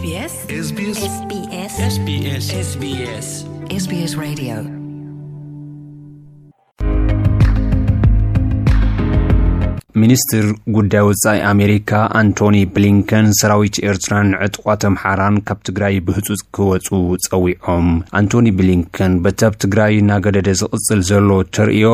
SBS SBS SBS SBS SBS Radio. ሚኒስትር ጉዳይ ወጻኢ ኣሜሪካ ኣንቶኒ ብሊንከን ሰራዊት ኤርትራን ዕጡቓት ኣምሓራን ካብ ትግራይ ብህጹጽ ክወጹ ጸዊዖም። ኣንቶኒ ብሊንከን በቲ ኣብ ትግራይ እናገደደ ዝቕጽል ዘሎ ተርእዮ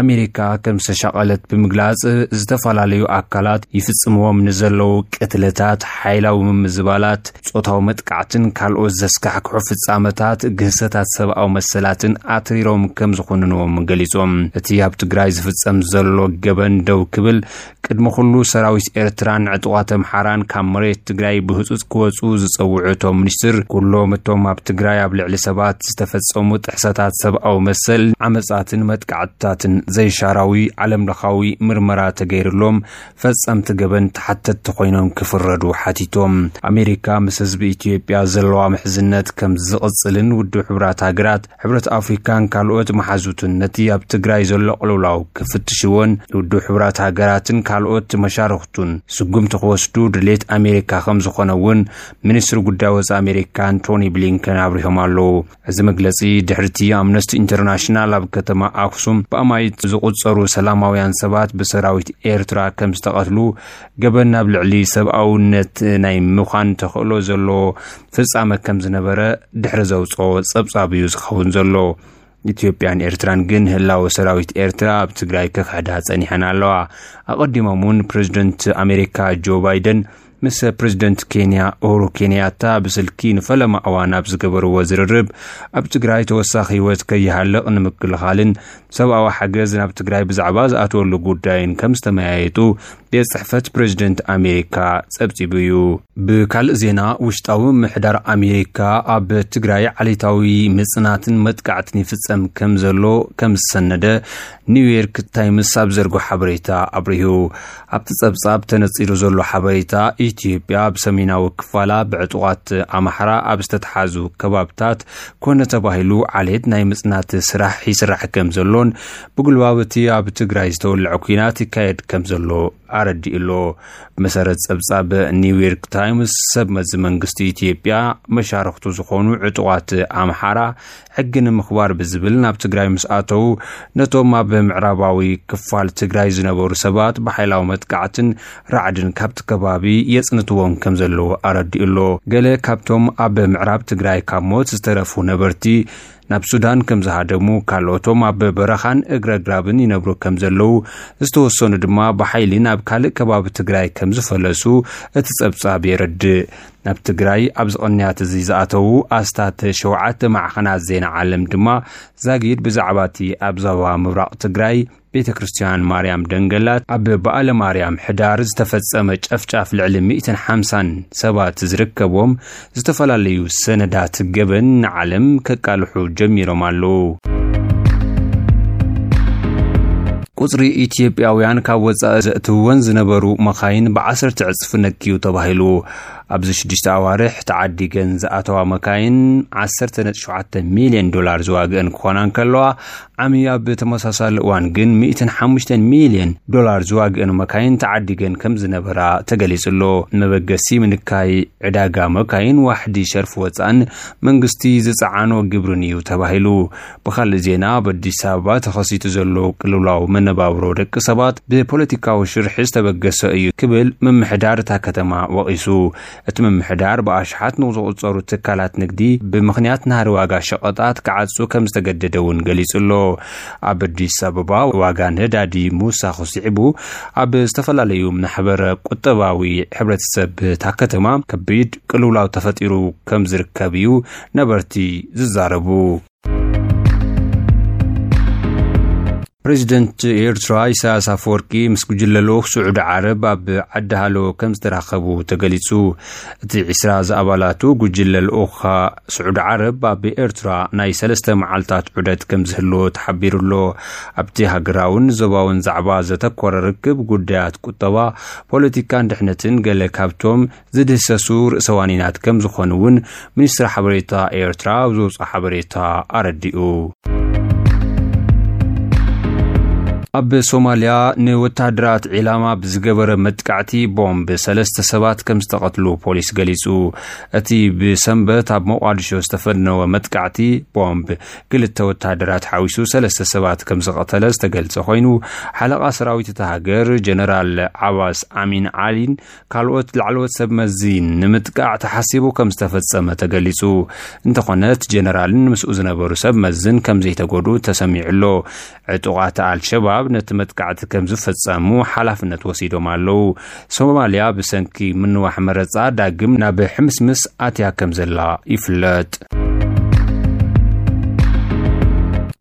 ኣሜሪካ ከም ዝተሻቐለት ብምግላጽ፣ ዝተፈላለዩ ኣካላት ይፍጽምዎም ንዘለዉ ቅትለታት፣ ሓይላዊ ምምዝባላት፣ ጾታዊ መጥቃዕትን ካልኦት ዘስካሕክሑ ፍጻመታት ግህሰታት ሰብኣዊ መሰላትን ኣትሪሮም ከም ዝኹንንዎም ገሊጾም። እቲ ኣብ ትግራይ ዝፍጸም ዘሎ ገበን ደው ክብል ቅድሚ ኩሉ ሰራዊት ኤርትራን ዕጡቓት ኣምሓራን ካብ መሬት ትግራይ ብህጹጽ ክወጹ ዝጸውዑ እቶም ሚኒስትር፣ ኩሎም እቶም ኣብ ትግራይ ኣብ ልዕሊ ሰባት ዝተፈጸሙ ጥሕሰታት ሰብኣዊ መሰል፣ ዓመጻትን መጥቃዕትታትን ዘይሻራዊ ዓለምለኻዊ ምርመራ ተገይርሎም ፈጸምቲ ገበን ተሓተትቲ ኮይኖም ክፍረዱ ሓቲቶም። ኣሜሪካ ምስ ህዝቢ ኢትዮጵያ ዘለዋ ምሕዝነት ከም ዝቕጽልን ውድብ ሕቡራት ሃገራት፣ ሕብረት ኣፍሪካን ካልኦት መሓዙትን ነቲ ኣብ ትግራይ ዘሎ ቅልውላው ክፍትሽዎን ውድብ ሕቡራት ሃገራትን ካልኦት መሻርኽቱን ስጉምቲ ክወስዱ ድሌት ኣሜሪካ ከም ዝኾነ እውን ሚኒስትሪ ጉዳይ ወጻኢ ኣሜሪካ ኣንቶኒ ብሊንከን ኣብሪሆም ኣለዉ። እዚ መግለጺ ድሕሪቲ ኣምነስቲ ኢንተርናሽናል ኣብ ከተማ ኣክሱም ብኣማይት ዝቑጸሩ ሰላማውያን ሰባት ብሰራዊት ኤርትራ ከም ዝተቐትሉ፣ ገበን ናብ ልዕሊ ሰብኣውነት ናይ ምዃን ተኽእሎ ዘለዎ ፍጻመ ከም ዝነበረ ድሕሪ ዘውጽኦ ጸብጻብ እዩ ዝኸውን ዘሎ። ኢትዮጵያን ኤርትራን ግን ህላወ ሰራዊት ኤርትራ ኣብ ትግራይ ክኽሕዳ ጸኒሐን ኣለዋ። ኣቐዲሞም እውን ፕሬዚደንት ኣሜሪካ ጆ ባይደን ምስ ፕሬዚደንት ኬንያ ኡሁሩ ኬንያታ ብስልኪ ንፈለማ እዋን ኣብ ዝገበርዎ ዝርርብ፣ ኣብ ትግራይ ተወሳኺ ህይወት ከይሃልቕ ንምክልኻልን ሰብኣዊ ሓገዝ ናብ ትግራይ ብዛዕባ ዝኣተወሉ ጉዳይን ከም ዝተመያየጡ ቤት ጽሕፈት ፕሬዚደንት ኣሜሪካ ጸብጺቡ እዩ። ብካልእ ዜና፣ ውሽጣዊ ምሕዳር ኣሜሪካ ኣብ ትግራይ ዓሌታዊ ምጽናትን መጥቃዕትን ይፍጸም ከም ዘሎ ከም ዝሰነደ ኒውዮርክ ታይምስ ኣብ ዘርጎ ሓበሬታ ኣብሪሁ። ኣብቲ ጸብጻብ ተነጺሩ ዘሎ ሓበሬታ፣ ኢትዮጵያ ኣብ ሰሜናዊ ክፋላ ብዕጡቓት ኣምሓራ ኣብ ዝተትሓዙ ከባብታት ኮነ ተባሂሉ ዓሌት ናይ ምጽናት ስራሕ ይስራሕ ከም ዘሎን፣ ብጉልባብ እቲ ኣብ ትግራይ ዝተወልዐ ኲናት ይካየድ ከም ዘሎ ኣረዲኡ ኣሎ። ብመሰረት ጸብጻብ ኒውዮርክ ታይምስ፣ ሰብ መዚ መንግስቲ ኢትዮጵያ መሻርኽቱ ዝኾኑ ዕጡቓት ኣምሓራ ሕጊ ንምኽባር ብዝብል ናብ ትግራይ ምስ ኣተዉ፣ ነቶም ኣብ ምዕራባዊ ክፋል ትግራይ ዝነበሩ ሰባት ብሓይላዊ መጥቃዕትን ራዕድን ካብቲ ከባቢ የጽንትዎም ከም ዘለዉ ኣረዲኡ ኣሎ። ገለ ካብቶም ኣብ ምዕራብ ትግራይ ካብ ሞት ዝተረፉ ነበርቲ፣ ናብ ሱዳን ከም ዝሃደሙ፣ ካልኦቶም ኣብ በረኻን እግረ ኣግራብን ይነብሩ ከም ዘለዉ፣ ዝተወሰኑ ድማ ብሓይሊ ናብ ካልእ ከባቢ ትግራይ ከም ዝፈለሱ እቲ ጸብጻብ የረድእ። ናብ ትግራይ ኣብዚ ቅንያት እዚ ዝኣተዉ ኣስታት ሸውዓተ ማዕኸናት ዜና ዓለም ድማ፣ ዛጊድ ብዛዕባ እቲ ኣብ ዞባ ምብራቕ ትግራይ ቤተ ክርስቲያን ማርያም ደንገላት ኣብ በዓለ ማርያም ሕዳር ዝተፈጸመ ጨፍጫፍ ልዕሊ ሚእትን ሓምሳን ሰባት ዝርከቦም ዝተፈላለዩ ሰነዳት ገበን ንዓለም ከቃልሑ ጀሚሮም ኣለዉ። ቁጽሪ ኢትዮጵያውያን ካብ ወጻኢ ዘእትወን ዝነበሩ መኻይን ብዓሰርተ ዕጽፊ ነክዩ ተባሂሉ። ኣብዚ ሽዱሽተ ኣዋርሕ ተዓዲገን ዝኣተዋ መካይን ዓሰርተ ነጥቢ ሸውዓተ ሚልዮን ዶላር ዝዋግአን ክኾና እንከለዋ፣ ዓሚ ኣብ ተመሳሳሊ እዋን ግን ሚእትን ሓሙሽተን ሚልዮን ዶላር ዝዋግአን መካይን ተዓዲገን ከም ዝነበራ ተገሊጹ ኣሎ። መበገሲ ምንካይ ዕዳጋ መካይን ዋሕዲ ሸርፊ ወጻእን መንግስቲ ዝጸዓኖ ግብርን እዩ ተባሂሉ። ብኻልእ ዜና፣ ኣብ ኣዲስ ኣበባ ተኸሲቱ ዘሎ ቅልውላው መነባብሮ ደቂ ሰባት ብፖለቲካዊ ሽርሒ ዝተበገሰ እዩ ክብል ምምሕዳር እታ ከተማ ወቒሱ። እቲ ምምሕዳር ብኣሽሓት ንዝቑጸሩ ትካላት ንግዲ ብምኽንያት ናህሪ ዋጋ ሸቐጣት ክዓጹ ከም ዝተገደደ እውን ገሊጹ ኣሎ። ኣብ ኣዲስ ኣበባ ዋጋ ነዳዲ ምውሳኹ ስዒቡ፣ ኣብ ዝተፈላለዩ ማሕበረ ቁጠባዊ ሕብረተሰብ እታ ከተማ ከቢድ ቅልውላው ተፈጢሩ ከም ዝርከብ እዩ ነበርቲ ዝዛረቡ። ፕሬዚደንት ኤርትራ ኢሳያስ ኣፈወርቂ ምስ ጉጅለ ልኡኽ ስዑዲ ዓረብ ኣብ ዓዲ ሃሎ ከም ዝተራኸቡ ተገሊጹ። እቲ ዒስራ ዝኣባላቱ ጉጅለ ልኡኽ ስዑዲ ዓረብ ኣብ ኤርትራ ናይ ሰለስተ መዓልታት ዑደት ከም ዝህልዎ ተሓቢሩ ኣሎ። ኣብቲ ሃገራውን ዞባውን ዛዕባ ዘተኮረ ርክብ ጉዳያት ቁጠባ፣ ፖለቲካን ድሕነትን ገለ ካብቶም ዝድህሰሱ ርእሰ ዋኒናት ከም ዝኾኑ እውን ሚኒስትሪ ሓበሬታ ኤርትራ ኣብ ዘውፅኦ ሓበሬታ ኣረዲኡ። ኣብ ሶማልያ ንወታደራት ዒላማ ብዝገበረ መጥቃዕቲ ቦምብ ሰለስተ ሰባት ከም ዝተቐትሉ ፖሊስ ገሊጹ። እቲ ብሰንበት ኣብ ሞቓዲሾ ዝተፈነወ መጥቃዕቲ ቦምብ ክልተ ወታደራት ሓዊሱ ሰለስተ ሰባት ከም ዝቐተለ ዝተገልጸ ኮይኑ፣ ሓለቓ ሰራዊት እታ ሃገር ጀነራል ዓባስ ኣሚን ዓሊን ካልኦት ላዕለዎት ሰብ መዚን ንምጥቃዕ ተሓሲቡ ከም ዝተፈጸመ ተገሊጹ። እንተኾነ እቲ ጀነራልን ምስኡ ዝነበሩ ሰብ መዝን ከም ዘይተጎድኡ ተሰሚዑ ኣሎ። ዕጡቓት ኣልሸባብ ነቲ መጥቃዕቲ ከም ዝፈጸሙ ሓላፍነት ወሲዶም ኣለዉ። ሶማልያ ብሰንኪ ምንዋሕ መረጻ ዳግም ናብ ሕምስምስ ኣትያ ከም ዘላ ይፍለጥ።